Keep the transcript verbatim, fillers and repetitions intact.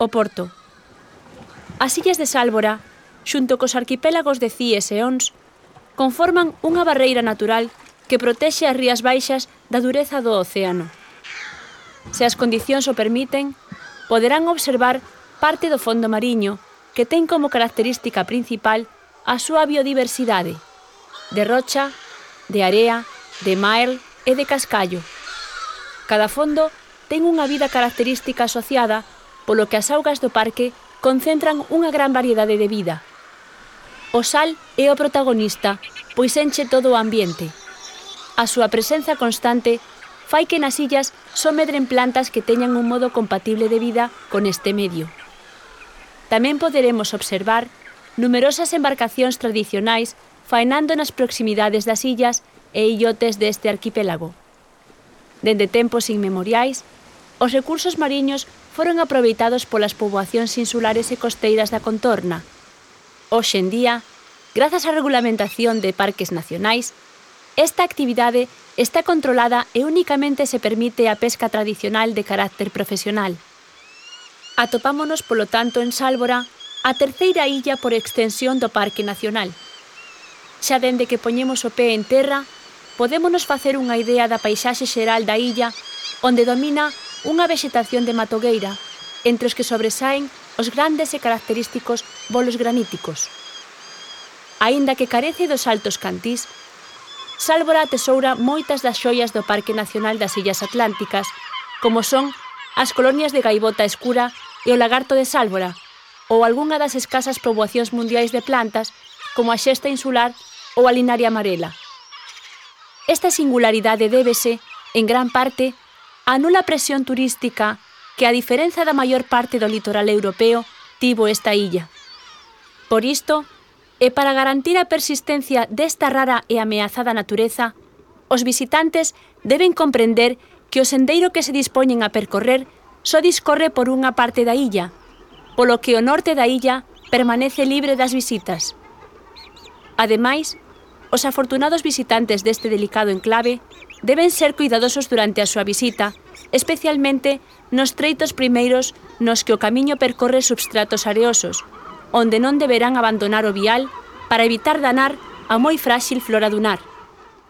o Porto. As illas de Sálvora, xunto cos arquipélagos de Cíes e Ons, conforman unha barreira natural que protexe as rías baixas da dureza do océano. Se as condicións o permiten, poderán observar parte do fondo mariño que ten como característica principal a súa biodiversidade, de rocha, de area, de mael e de cascallo. Cada fondo ten unha vida característica asociada, polo que as augas do parque concentran unha gran variedade de vida. O sal é o protagonista, pois enche todo o ambiente. A súa presenza constante fai que nas illas só medren plantas que teñan un modo compatible de vida con este medio. Tamén poderemos observar numerosas embarcacións tradicionais faenando nas proximidades das illas e illotes deste arquipélago. Dende tempos inmemoriais, os recursos mariños foron aproveitados polas poboacións insulares e costeiras da contorna. Hoxe en día, grazas á regulamentación de parques nacionais, esta actividade está controlada e únicamente se permite a pesca tradicional de carácter profesional. Atopámonos, polo tanto, en Sálvora, a terceira illa por extensión do Parque Nacional. Xa dende que poñemos o pé en terra, podémonos facer unha idea da paisaxe xeral da illa, onde domina unha vexetación de matogueira, entre os que sobresaen os grandes e característicos bolos graníticos. Aínda que carece dos altos cantís, Sálvora atesoura moitas das xoias do Parque Nacional das Illas Atlánticas, como son as colonias de gaivota escura e o lagarto de Sálvora, ou algunha das escasas poboacións mundiais de plantas, como a xesta insular ou a linaria amarela. Esta singularidade débese, en gran parte, á nula presión turística que, a diferenza da maior parte do litoral europeo, tivo esta illa. Por isto, e para garantir a persistencia desta rara e ameazada natureza, os visitantes deben comprender que o sendeiro que se dispoñen a percorrer só discorre por unha parte da illa, polo que o norte da illa permanece libre das visitas. Ademais, os afortunados visitantes deste delicado enclave deben ser cuidadosos durante a súa visita, especialmente nos treitos primeiros nos que o camiño percorre substratos areosos, onde non deberán abandonar o vial para evitar danar a moi fráxil flora dunar.